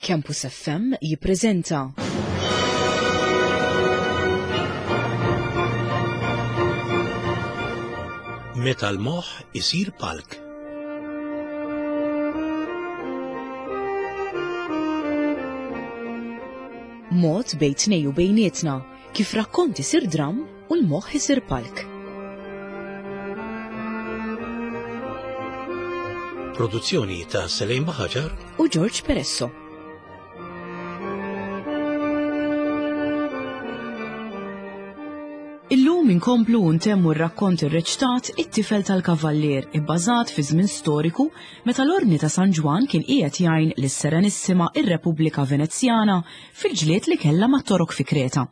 Campus FM jippreżenta. Meta l-moħħ isir palk. Mod bejn tnej u bejnietna kif rakkont isir dramm u l-moħħ isir palk. Produzzjoni ta' Selejn Baħaġar u George Peresso. Illum inkomplu u ntemmu r-rakkont irreċtat It-Tifel tal-Kavallier ibbażat fi żmien storiku meta l-Ordni ta' San Ġwann kien qiegħed jgħin lis-Serenissima ir-Repubblika Venezjana fil-ġlied li kellha mat-Torok fi Kreta.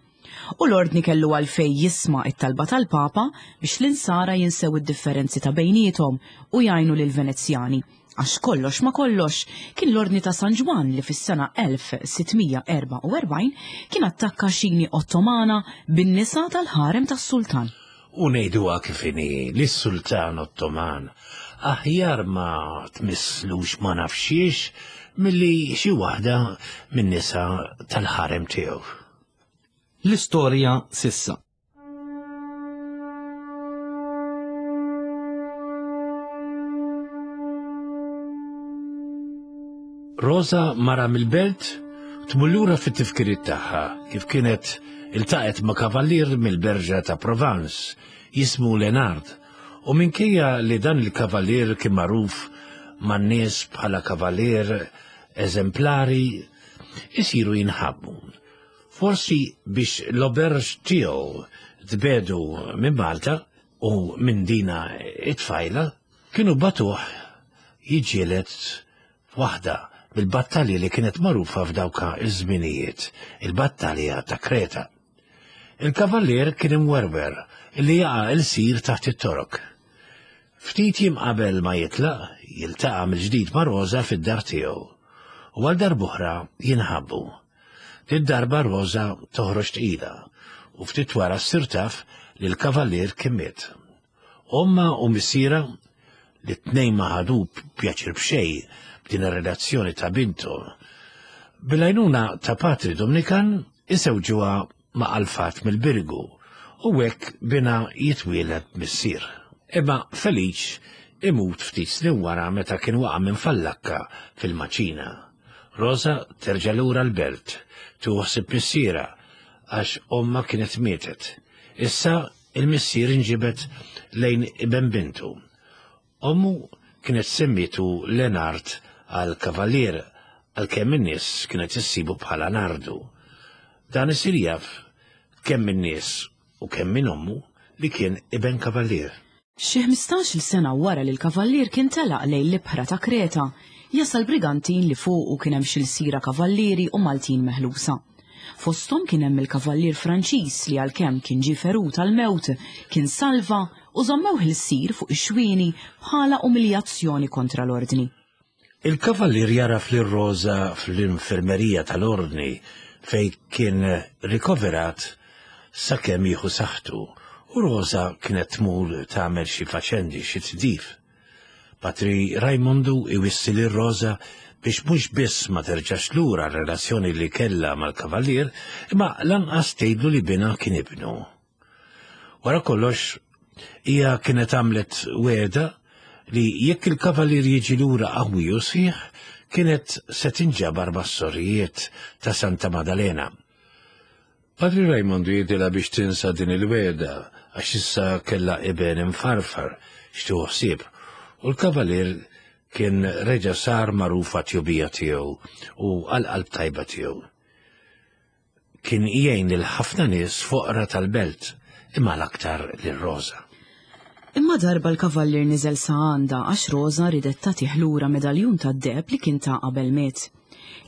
U l-Ordni kellu għalfejn jisma' t-talba tal-Papa biex l-Insara jinsew id-differenzi ta' bejniethom u jgħinu lill-Venezjani, għax kollox ma' kollox kien l-Ordni ta' San Ġwann li fis-sena 1644 kien attakka xini Ottomana bin-nisa tal-ħarem tas-Sultan. U ngħiduha kif inhi, lis-Sultan Ottoman aħjar ma tmisslux ma nafx xiex milli xi waħda min-nisa tal-ħarem tiegħu. L-istorja s'issa. Rosa mara mill-belt tmur lura fit-tifkiriet tagħha kif kienet iltaqgħet ma' kavallier mill-berġa ta' Provence jismu Lenard u minkejja li dan il-kavallier kien magħruf man-nies bħala kavallier eżemplari isiru jinħabbu. Forsi biex l-auberge tiegħu tbedu minn Malta u minn dina it-tfajla, kienu batuh jiġġieled f'waħda mill-battalji li kienet magħrufa f'dawka iż-żminijiet, il-battalja ta' Kreta. Il-kavallier kien imwerwer li jaqa' ilsir taħt it-Torok. Ftit jiem qabel ma jitlaq, jiltaqa' mill-ġdid ma' Rosa fid-dar tiegħu u għal darb'oħra jinħabbu. Did-darba Rosa toħroġ tqila u ftit wara ssir taf li l-kavallier kien miet. Ommha u missierha, li t-tnejn ma ħadu pjaċir b'xejn b'din ir-relazzjoni ta' binthom, bil-għajnuna ta' Patri Dominikan isewġuha ma' Alfat mill-Birgu u hekk binha jitwieled missier. Imma Feliċ imut ftit snin wara meta kien waqa' minn fallakka fil-maċina. Rosa terġa' lura l-belt, tieħu ħsieb missierha għax ommha kienet mietet. Issa il-missier inġibed lejn iben bintu. Ommu kienet semmietu Lenard għal kavallier għalkemm in-nies kienet issibu bħala Nardu. Dan isir jaf kemm min-nies u kemm minn ommu li kien iben kavallier. Xi ħmistax-il sena wara li l-kavallier kien telaq lejn l-ibħra ta' Kreta, jasal brigantin li fuqu kien hemm xi lsira kavallieri u Maltin meħlusa. Fosthom kien hemm il-kavallier Franċiż li għalkemm kien ġie ferut għall-mewt, kien salva u żammewh ilsir fuq ix-xwieni bħala umiljazzjoni kontra l-Ordni. Il-kavallier jagħraf lil Rosa fl-infermerija tal-Ordni fejn kien rikoverat sakemm jieħu saħħtu u Rosa kienet tmur tagħmel xi faċendi, xi tdif. Patri Rajmondu iwissi lil Rosa biex mhux biss ma terġax lura r-relazzjoni li kellha mal-kavallier, imma lanqas tgħidlu li binha kien ibnu. Wara kollox, hija kienet għamlet wegħda li jekk il-kavallier jiġi lura qawwi u sħiħ, kienet se tinġabar mas-sorijiet ta' Santa Madalena. Padri Rajmondu jgħidilha biex tinsa din il-wegħda għax issa kellha iben imfarfar x'tieħu ħsieb u l-Kavalier kien reġa' sar magħruf għat-tjubija tiegħu u għall-qalb tajba tiegħu. Kien jgħin lil ħafna nies foqra tal-belt imma l-aktar lil Rosa. Imma darba l-Kavallier niżel sa għandha għax Rosa riedet tagħtih lura medaljun tad-deheb li kien ta qabel miet.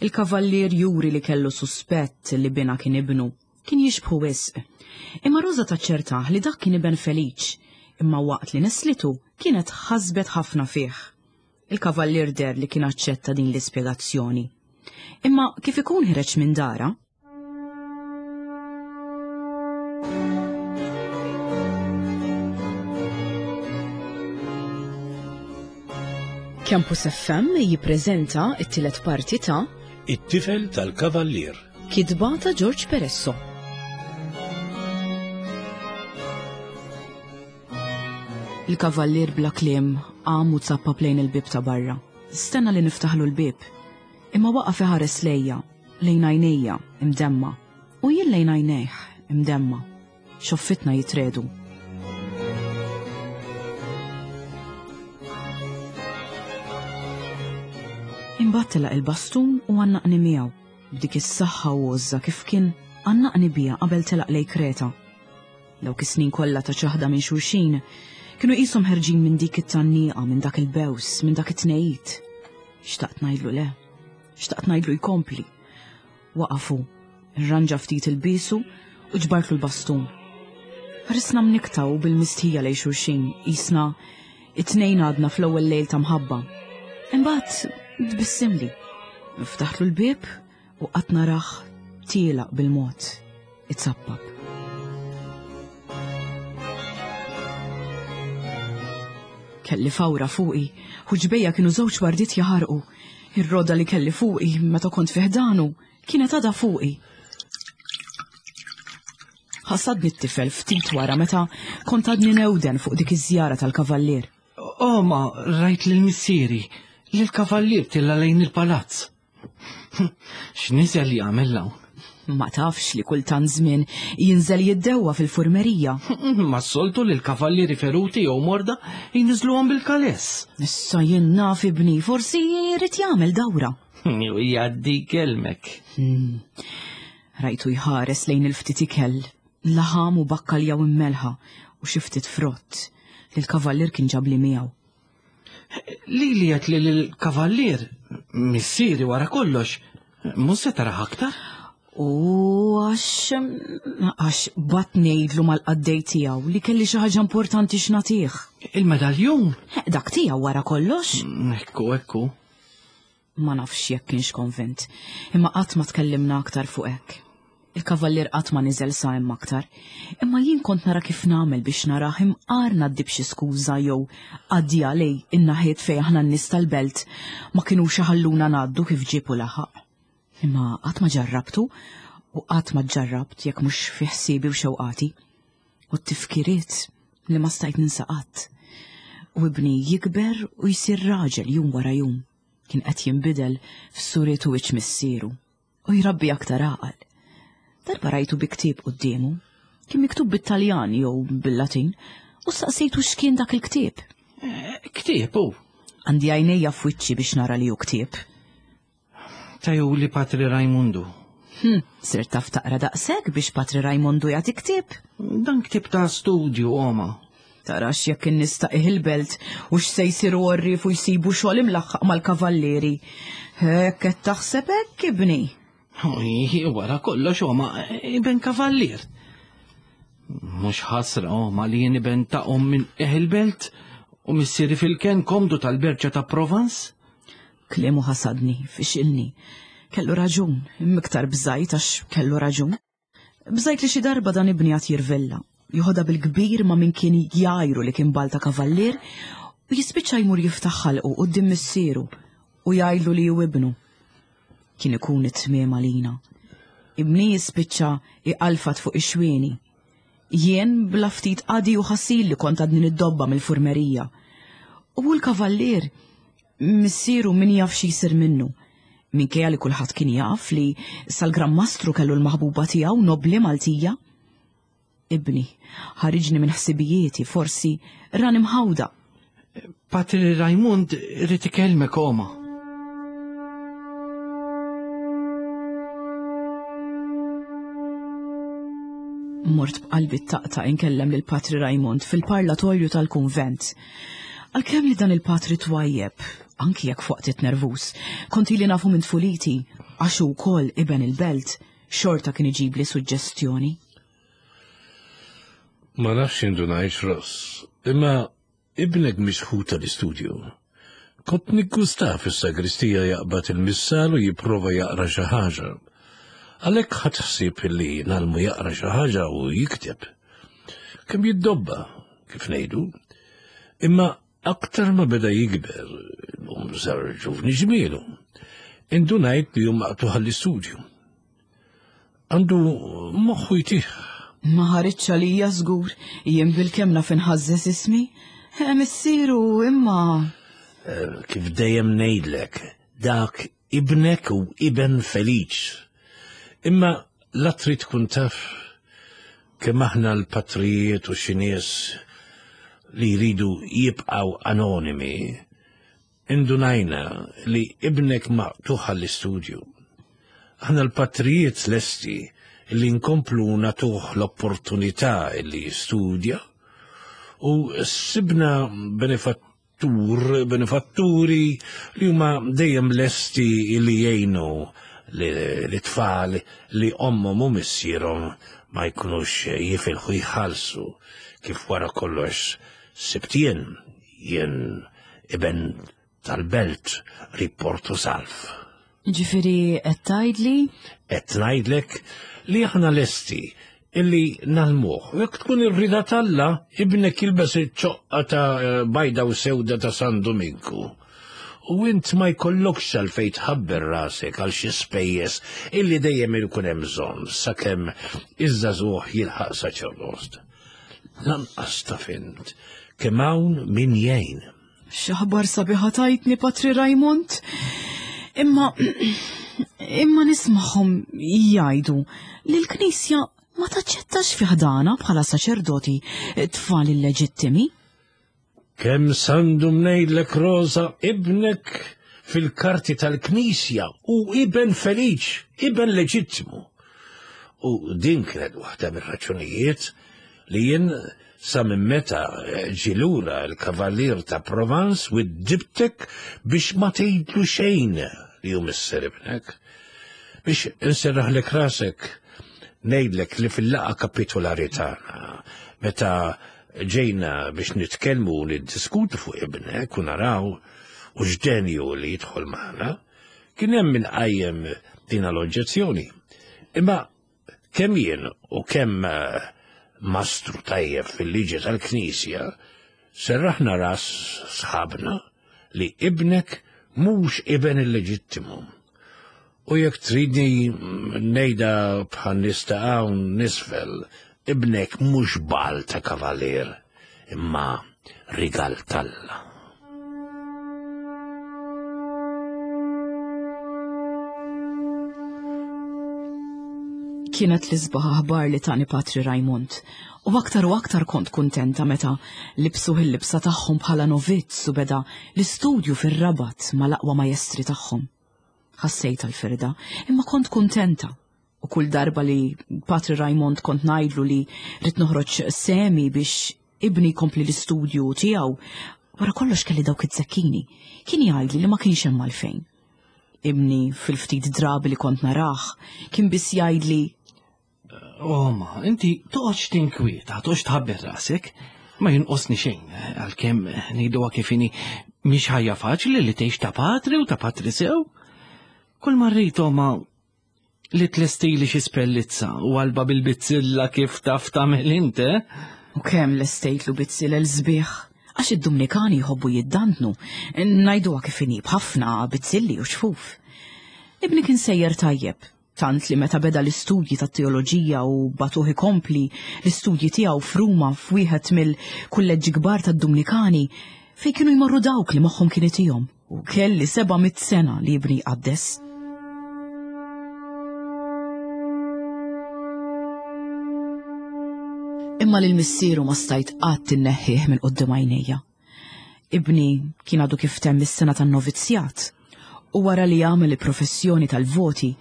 Il-kavallier juri li kellu suspett li binha kien ibnu. Kien jixbħu wisq. Imma Roża taċċertah li dak kien iben Feliċ, imma waqt li neslitu kienet ħasbet ħafna fih. Il-kavallier deher li kien aċċetta din l-ispjegazzjoni. Imma kif ikun ħireġ minn darha, Campus FM jippreżenta t-tielet parti ta'. It-tifel tal-kavallier. Kitba ta' George Peresso. Il-kavallier bla kliem qam u zappap lejn il-bieb ta' barra. Stenna li niftaħlu l-bieb. Imma waqaf iħares lejja, lejn għajnejja, imdemma. U jien lejn għajnejh, imdemma. Xoffitna jitredu. Imbagħad telaq il-bastun u għannaqni miegħu b'dik is-saħħa u għożża kif kien għannaqni biha qabel telaq lej Kreta. Dawk is-snin kollha ta' ċaħda minn xulxin kienu qishom ħerġin minn dik it-tgħanniqa, minn dak il-bews, minn dak it-tnejjid. Xtaqt ngħidlu le, xtaqt ngħidlu jkompli. Waqaf hu, irranġa ftit ilbiesu u ġbartlu l-bastun. Ħarisna mnikkta u bil-mistħija lejn xulxin, qisna it-tnejn għadna fl-ewwel lejl ta' mħabba. Imbagħad tbissimli. Ftaħtlu l-bieb u qatt narah tielaq bil-mod, itzappap. Kelli fawra fuqi, ħuġbejja kienu żewġ wardiet jaħarqu. Ir-roda li kelli fuqi meta kont fi ħdanu kienet għadha fuqi. Ħasadni t-tifel ftit wara meta kont għadni newden fuq dik iż-żjara tal-kavallier. Oh, ma rajt lil missieri, li l-kavallier tilla lejn il-palazz. X'niżel jagħmel hawn? Ma tafx li kultant żmien jinżel jiddewwa fil-furmerija. Ma soltu li l-kavallieri feruti jew morda jinżluhom bil-kaless. Issa jien naf ibni, forsi jrid jagħmel dawra. Jew jgħaddi kelmek. Hmm. Rajtu jħares lejn il-ftit ikel, laħam u bakkalja u mmelħa u xi ftit frott li l-kavallier kien ġabli miegħu. Lili qed li l-kavallier, missieri wara kollox, mhux se taraħ aktar. U għax għax bat ngħidlu mal-qaddej tiegħu li kelli xi ħaġa importanti x'nagħtih. Il-medaljun? Dak tiegħu wara kollox. Mm, ekku, ekku. Ma nafx jekk kienx konvint, imma qatt ma tkellimna aktar fuq hekk. Il-kavallier qatt ma niżel sa hemm aktar, imma jien kont nara kif nagħmel biex narah imqar ngħaddi b'xi skuża jew għaddija lej in-naħiet fejn aħna n-nies tal-belt ma kinux iħalluna ngħaddu kif ġieb u laħaq. Imma qatt ma ġarrabtu u qatt ma ġġarrabt jekk mhux fi ħsiebi u xewqati. U t-tifkiriet li ma stajt ninsa qatt. U ibni jikber u jsir raġel jum wara jum. Kien qed jinbidel f'suriet u wiċċ missieru u jrabbi aktar għaqal. Darba rajtu bi ktieb quddiemu, kien miktub bit-Taljan jew bil-Latin, u staqsejtu x'kien dak il-ktieb. Eh, ktieb hu. Għandi għajnejja f'wiċċi biex nara li hu ktieb. Tajuli Patri Rajmundu. Hm, sirt taf taqra daqshekk biex Patri Rajmundu jagħti ktieb? Dan ktieb ta' studju, oma. Tarax jekk in-nies ta' il-belt u x'se jsiru għorrief u jsibu xogħol imlaħħaq mal-kavallieri. Hekk qed taħseb hekk ibni. Oj, wara kollox oma, iben kavallier. Mhux ħasra oma li jien iben ta' om minn il-belt u missieri fil-ken komdu tal-berġa ta' Provence? Kliemu ħasadni, fixilni. Kellu raġun, imma iktar bżajt għax kellu raġun. Bżajt li xi darba dan ibni għad jirvella, joħodha bil-kbir ma' min kien jgħajru li kien balta kavallier u jispiċċa jmur jiftaħ ħalqu quddiem missieru u jgħidlu li hu ibnu. Kien ikun it-tmiem għalina. Ibni jispiċċa iqalfat fuq ix-xwieni. Jien bla ftit qadi u ħasil li kont għadni niddobba mill-furmerija. U l-kavallier Missieru min jaf xi jsir minnu. Minkejja li kulħadd kien jaf li sal-Gran Mastru kellu l-maħbuba tiegħu nobbli Maltija. Ibni, ħariġni minn ħsibijieti, forsi rani mħawda. Patri Rajmund irid ikellmek oma. Mort b'qalbi taqta' inkellem lil Patri Rajmund fil-parlatorju tal-kunvent. Għalkemm li dan il-patri twajjeb, anki jekk f'waqtiet nervuż, kont ili nafu minn tfuliti, għax hu wkoll iben il-belt, xorta kien iġibli suġġestjoni. Ma nafx indunajx Ross, imma ibnek mixħut tal-istudju. Kont niggustah fis-sagristija jaqbad il-missal u jipprova jaqra xi ħaġa. Għalhekk ħadt ħsieb li ngħallmu jaqra xi ħaġa u jikteb. Kemm jiddobba, kif ngħidu. Imma aktar ma beda jikber, illum sar ġuvni ġmielu. Indunajt li hu maqtugħ għall-istudju. Għandu moħħu jtih. Ma ħaritx għalija żgur, jien bilkemm naf inħażżeż ismi. Eh, missieru imma. Eh, kif dejjem ngħidlek, dak ibnek u iben feliċ. Imma la trid tkun taf kemm aħna l-patrijiet u xi nies li jridu jibqgħu anonimi, Indunajna li ibnek maqtugħ għall-istudju. Aħna l-patrijiet lesti li nkomplu nagħtuh l-opportunità li jistudja u sibna benefattur, benefatturi li huma dejjem lesti li jgħinu l-tfal li ommhom u missierhom ma jkunux jifilħu jħallsu kif wara kollox sibt jien Jien iben tal-belt qrib Porto Salv. Ġifieri qed tgħidli? Qed ngħidlek li aħna lesti illi nalmuh. Jekk tkun ir-rida t'Alla, ibnek jilbes iċ-ċoqqa ta' bajda u sewda ta' San Duminku. U int ma jkollokx għalfejn tħabber rasek għal xi spejjeż illi dejjem ikun hemm bżonn sakemm iż-żagħżugħ jilħaq saċerdot. Lanqas taf int kemm hawn min jgħin. X'aħbar sabiħa tajtni Patri Raymond. Imma imma nismagħhom jgħidu li l-Knisja ma taċċettax fi ħdana bħala saċerdoti tfal illeġittimi. Kemm sandum ngħidlek Rosa ibnek fil-karti tal-Knisja u iben feliċ, iben leġittimu. U din kienet waħda mir-raġunijiet li jien sa minn meta ġie lura l-Kavallier ta' Provence widdibtek biex ma tgħidlu xejn li hu missier ibnek. Biex inserraħlek rasek ngħidlek li fil-laqgħa kapitolari tagħna meta Ġejna biex nitkellmu u niddiskutu fuq ibnek u naraw u x'denju li jidħol magħna, kien hemm min qajjem din l-oġġezzjoni. Imma kemm jien u kemm eh, mastru tajjeb fil-liġi tal-Knisja, serraħna ras sħabna li ibnek mhux iben illeġittimu. U jekk tridni ngħidha bħal nies ta' hawn nisfel, ibnek mhux bal ta' kavalier, imma rigal t'Alla. Kienet l-isbaħ aħbar li tani Patri Raymond, u aktar u aktar kont kuntenta meta libsuh il-libsa tagħhom bħala novizz u beda l-istudju fir-Rabat mal-aqwa majestri tagħhom. Ħassejtha l-firda, imma kont kuntenta. U kull darba li Patri Raymond kont ngħidlu li rrid noħroġ semi biex ibni jkompli l-istudju tiegħu, wara kollox kelli dawk iz-zekkini, kien jgħidli li ma kienx hemm għalfejn. Ibni fil-ftit drabi li kont narah, kien biss jgħidli Oma, inti toqgħodx tinkwieta, toqgħodx tħabber rasek, ma jinqosni xejn, għalkemm ngħiduha kif inhi mhix ħajja faċli li tgħix ta' patri u ta' patri sew. Kull ma rrid oma li tlestili xi spellizza u qalba bil-bizzilla kif taf tagħmel int, eh? U kemm lestejtlu bizzilel sbieħ, għax id-Dumnikani jħobbu jiddantnu, ngħiduha kif inhi b'ħafna bizzilli u ċfuf. Ibni kien sejjer tajjeb, tant li meta beda l-istudji tat-teoloġija u bagħtuh ikompli l-istudji tiegħu f'Ruma f'wieħed mill-kulleġġi kbar tad-Dumnikani fejn kienu jmorru dawk li moħħhom kien itihom u kelli 700 sena li ibni jqaddes. Imma lil missieru ma stajt qatt inneħħih minn quddiem għajnejja. Ibni kien għadu kif temm is-sena tan-novizzjat u wara li għamel il-professjoni tal-voti,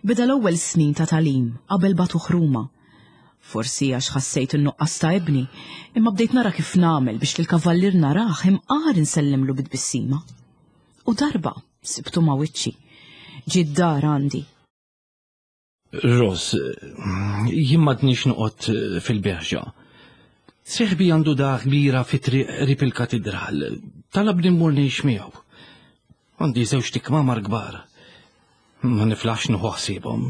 beda l-ewwel snin ta' tagħlim qabel bagħtuh Ruma. Forsi għax ħassejt in-nuqqas ta' ibni, imma bdejt nara kif nagħmel biex lill-kavallier narah imqar insellimlu bi tbissima. U darba sibtu ma' wiċċi. Ġie d-dar għandi. Ros, jien m'għadnix noqgħod fil-berġa. Seħbi għandu dar kbira fi triq qrib il-katidral. Talabni mmur ngħix miegħu. Għandi żewġ tikmamar kbar. Ma niflaħx nieħu ħsiebhom.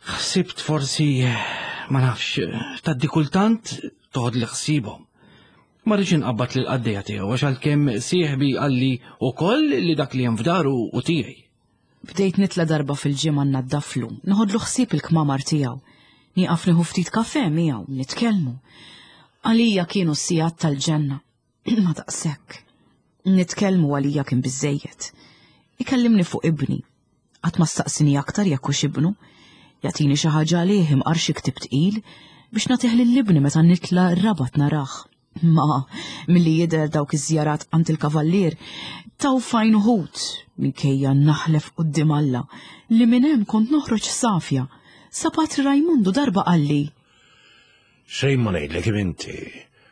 Ħsibt forsi, ma nafx, tgħaddi kultant toħodli ħsiebhom. Ma rridx inqabbad lill-qaddejja tiegħu għax għalkemm sieħbi qalli wkoll li dak li hemm f'daru hu tiegħi. Bdejt nitla darba fil-ġimgħa nnaddaflu, noħodlu ħsieb il-kmamar tiegħu. Nieqaf nieħu ftit kafè miegħu, nitkellmu. Għalija kienu s-sigħat tal-ġenna. Ma daqshekk. Nitkellmu għalija kien biżejjed. Ikellimni fuq ibni. Qatt ma staqsini aktar jekk hux ibnu. Jagħtini xi ħaġa għalih imqar xi ktib tqil biex nagħtih lil ibni meta nitla' r-rabat narah. Ma milli jidher dawk iż-żjarat għand il-kavallier taw fajn uħud minkejja naħlef quddiem Alla li minn hemm kont noħroġ safja. Sa Patri Rajmundu darba qalli. Xejn ma ngħidlek inti.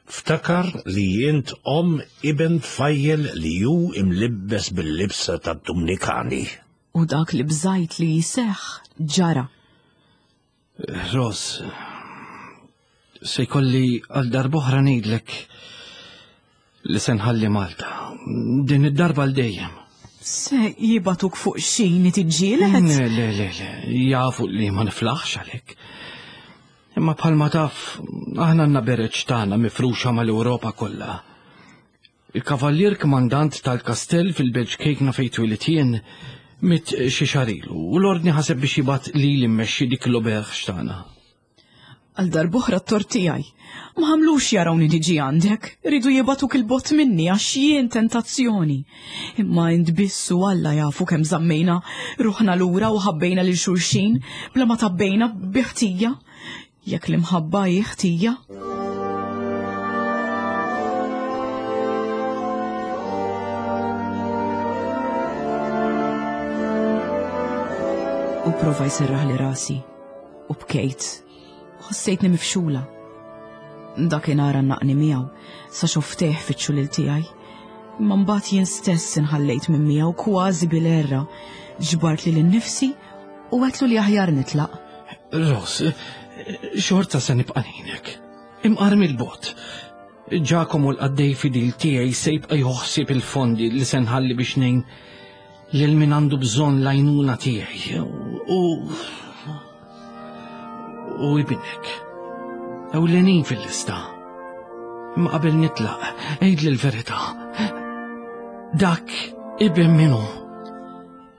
Ftakar li int omm iben tfajjel li hu imlibbes bil-libsa tad-Dumnikani. U dak li bżajt li jseħħ ġara. Ros, se jkolli għal darb'oħra ngħidlek li se nħalli Malta. Din id-darba għal dejjem. Se jibatuk fuq xini tiġġieled? Le, le, le, le, jafu li ma niflaħx għalek. Imma bħalma taf, aħna għandna bereġ tagħna mifruxa mal-Ewropa kollha. Il-kavallier kmandant tal-kastell fil-Belġ Kejkna fejn twilit jien mit xi xahar ilu u l-ordni ħaseb biex jibgħat lili mmexxi dik l-oberġ tagħna. Għal darb'oħra t-tort tiegħi. Ma ħamlux jarawni niġi għandek, ridu jibgħatuk il-bogħod minni għax jien tentazzjoni. Imma int biss u Alla jafu kemm żammejna ruħna lura u ħabbejna lil xulxin bla ma tabbejna bi ħtija. Jekk l-imħabba hi ħtija. U prova jserraħli rasi u bkejt. Ħossejtni mifxula. Dakinhar għannaqni miegħu sa xoftejh fiċ-ċulil tiegħi. Imma mbagħad jien stess inħallejt minn miegħu kważi bil-erra. Ġbart lili nnifsi u għedtlu li aħjar nitlaq. Ros, xorta se nibqa' ngħinek. Imqar mill-bogħod. Ġakomu l-qaddej fidil tiegħi se jibqa' joħsib il-fondi li se nħalli biex ngħin lil min għandu bżonn l-għajnuna tiegħi u u ibnek. Ewlenin fil-lista. Imma qabel nitlaq, għidli l-verità. Dak iben minu.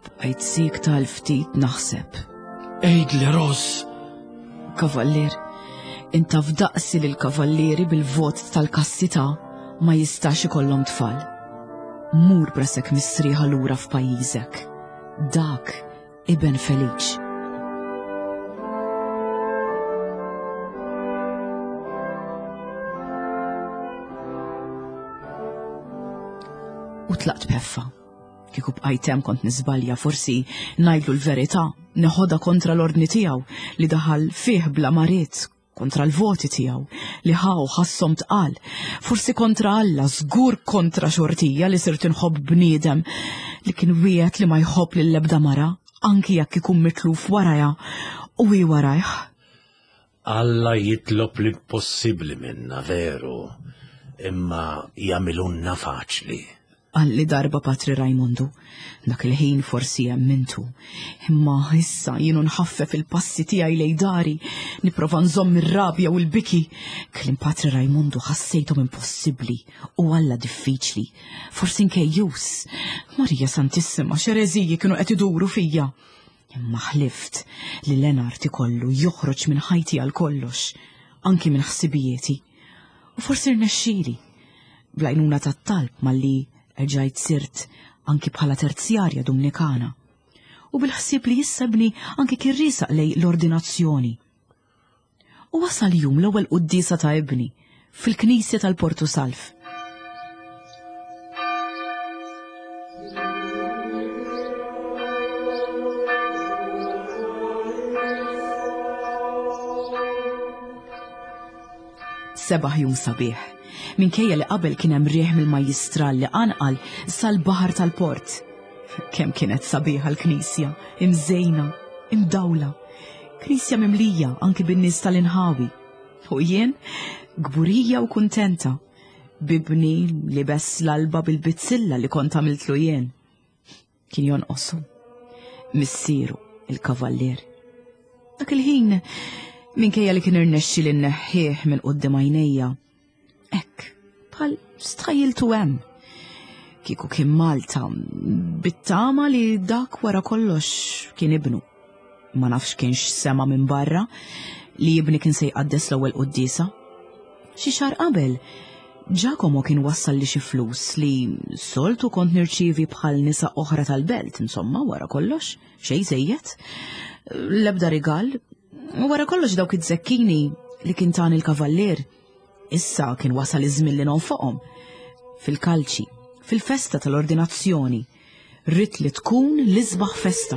Bqajt siekta għal ftit naħseb. Għidli Ros. Kavallier, inta f'daqsi li l-kavallieri bil-vot tal-kastità ma jistax ikollhom tfal. Mur b'rasek mistrieħa lura f'pajjiżek. Dak iben Feliċ. U tlaqt b'ħeffa. Kieku bqajt hemm kont niżbalja, forsi ngħidlu l-verità, neħodha kontra l-ordni tiegħu li daħal fih bla ma ried, kontra l-voti tiegħu li ħa u ħasshom tqal, forsi kontra Alla, żgur kontra xortija li sirt inħobb bniedem li kien wiegħed li ma jħobb lil ebda mara, anki jekk ikun mitluf warajha u hi warajh. Alla jitlob l-impossibbli minna, veru, imma jagħmilulna faċli. Qalli darba Patri Rajmondu. Dak il-ħin forsi emmintu. Imma issa jienu nħaffef il-passi tiegħi lejn dari, nipprova nżomm ir-rabja u l-biki. Kliem Patri Rajmondu ħassejthom impossibbli u Alla diffiċli. Forsi nkejjus. Marija Santissima, x'ereżiji kienu qed iduru fija. Imma ħlift li Lenart ikollu joħroġ minn ħajti għal kollox, anki minn ħsibijieti. U forsi rnexxieli. Bl-għajnuna tat-talb malli erġajt sirt anki bħala terzjarja Dumnikana. U bil-ħsieb li issa ibni anki kien riesaq lejn l-ordinazzjoni. U wasal jum l-ewwel quddiesa ta' ibni fil-knisja tal-Portu Salv. Sebaħ jum sabiħ. Minkejja li qabel kien hemm riħ mill-majjistral li qanqal sal-baħar tal-port. Kemm kienet sabiħa l-knisja, imżejna, imdawla. Knisja mimlija anki bin-nies tal-inħawi. U jien, kburija u kuntenta, bibni libes l-alba bil-bizzilla li kont għamiltlu jien. Kien jonqosu. Missieru, il-kavallier. Dak il-ħin, minkejja li kien irnexxi li nneħħih minn quddiem għajnejja, hekk, bħal stħajjiltu hemm. Kieku kien Malta, bit-tama li dak wara kollox kien ibnu. Ma nafx kienx sema minn barra li ibni kien se jqaddes l-ewwel quddiesa. Xi xahar qabel, Giacomo kien wassal li xi flus li soltu kont nirċievi bħal nisa oħra tal-belt, insomma, wara kollox, xejn żejjed. L-ebda rigal, wara kollox dawk iż-żekkini li kien tani l-kavallier. Issa kien wasal iż-żmien li nonfoqhom. Fil-kalċi, fil-festa tal-ordinazzjoni, ridt li tkun l-isbaħ festa.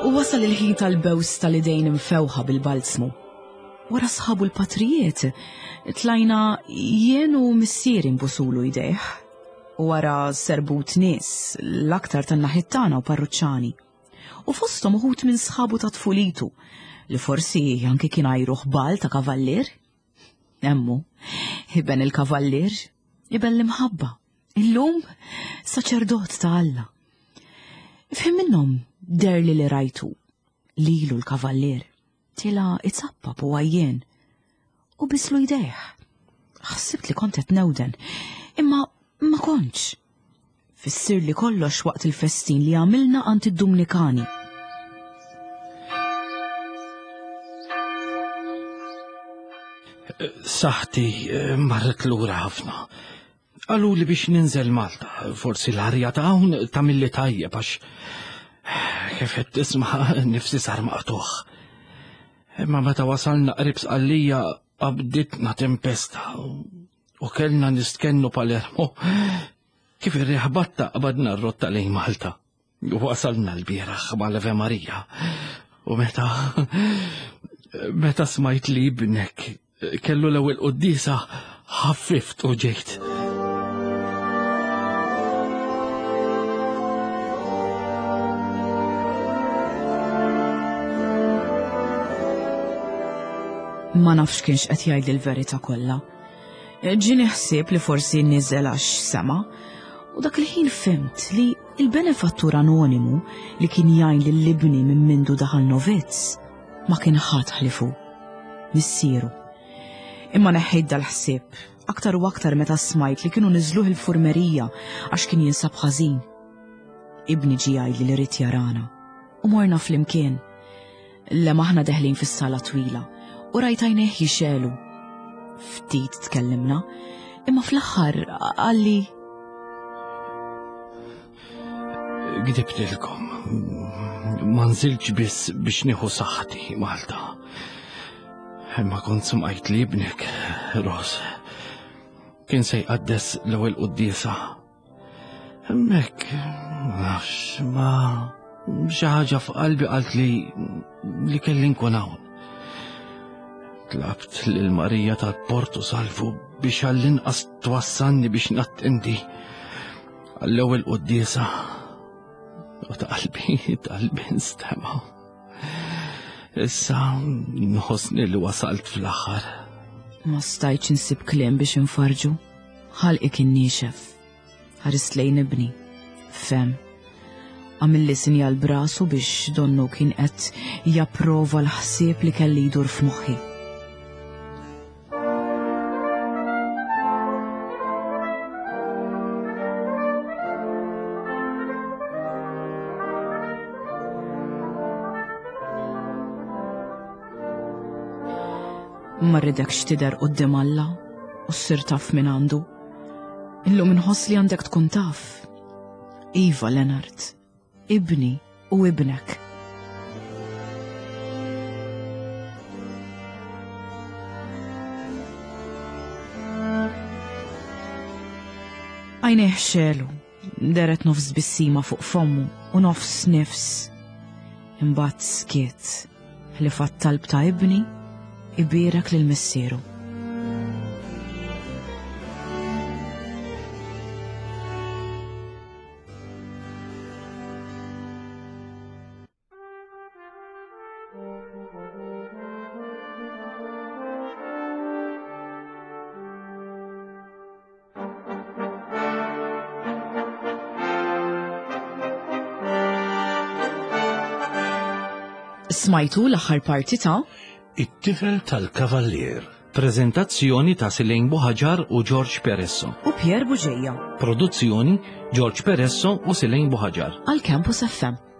U wasal il-ħin tal-bews tal-idejn imfewħa bil-balzmu. Wara sħabu l-patrijiet, tlajna jien u missieri nbusulu jdejh. U wara serbut nies, l-aktar tan-naħiet tagħna u parruċċani. U fosthom uħud minn sħabu ta' tfulitu, li forsi anki kien għajru ħbal ta' kavallier. Emmu, iben il-kavallier, iben l-imħabba, illum saċerdot ta' Alla. F'ħin minnhom derli li rajtu, lilu l-kavallier, tila itzappap u għajjien, u bislu jdejh. Ħsibt li kont qed newden, imma ma kontx. Fissirli kollox waqt il-festin li għamilna għand id-Dumnikani. Saħti eh, marret lura ħafna. Qaluli biex ninżel Malta, forsi l-arja ta' hawn tagħmilli tajjeb għax kif qed tisma' nifsi sar maqtuħ. Imma meta wasalna qrib Sqallija qabditna tempesta u kellna nistkennu Palermo. Kif ir-riħ batta qbadna r-rotta lejn Malta. Wasalna l-bieraħ mal-Ave Maria. U meta meta smajt li ibnek kellu l-ewwel quddiesa ħaffift u ġejt. Ma nafx kienx qed jgħidli l-verità kollha. Ġieni ħsieb li forsi niżel għax sema, u dak il-ħin fhimt li il-benefattur anonimu li kien jgħin lil ibni minn mindu daħal novizz ma kien ħadd ħlifu, missieru. Imma neħħejt dal-ħsieb, aktar u aktar meta smajt li kienu niżluh il-furmerija għax kien jinsab ħażin. Ibni ġie jgħidli li ried jarana u morna flimkien. Lemaħna deħlin fis-sala twila u rajt għajnejh jixegħlu. Ftit tkellimna, imma fl-aħħar qalli Gdibtilkom. Ma nżiltx biss biex nieħu saħħti Malta. Imma kont smajt li ibnek, Ros, kien se jqaddes l-ewwel quddiesa. Hemmhekk, nafx, ma xi ħaġa f'qalbi qalt li li kelli nkun hawn. Tlabt lil Marija tal-Portu Salvu biex għall-inqas twassalni biex nattendi għall-ewwel quddiesa. U ta' qalbi, ta' qalbi nstema'. Issa nħossni li wasalt fl-aħħar. Ma stajtx insib kliem biex infarġu. Ħalqi kien niexef. Ħarist lejn ibni. Fem. Għamilli sinjal brasu biex donnu kien qed japprova l-ħsieb li kelli jdur f'moħħi. Ma rridekx tidher quddiem Alla u ssir taf min għandu. Illum inħoss li għandek tkun taf. Iva, Leonard, ibni u ibnek. Għajnejh xelu, deret nofs bissima fuq fommu u nofs nifs. Imbagħad skiet, ħlief għat-talb ta' ibni, ibierek lil missieru. Smajtu l-aħħar parti ta' It-tifel tal-kavallier. Preżentazzjoni ta' Silejn Buħaġar u George Peresso. U Pierre Buġeja. Produzzjoni George Peresso u Silejn Buħaġar. Għal Campus FM.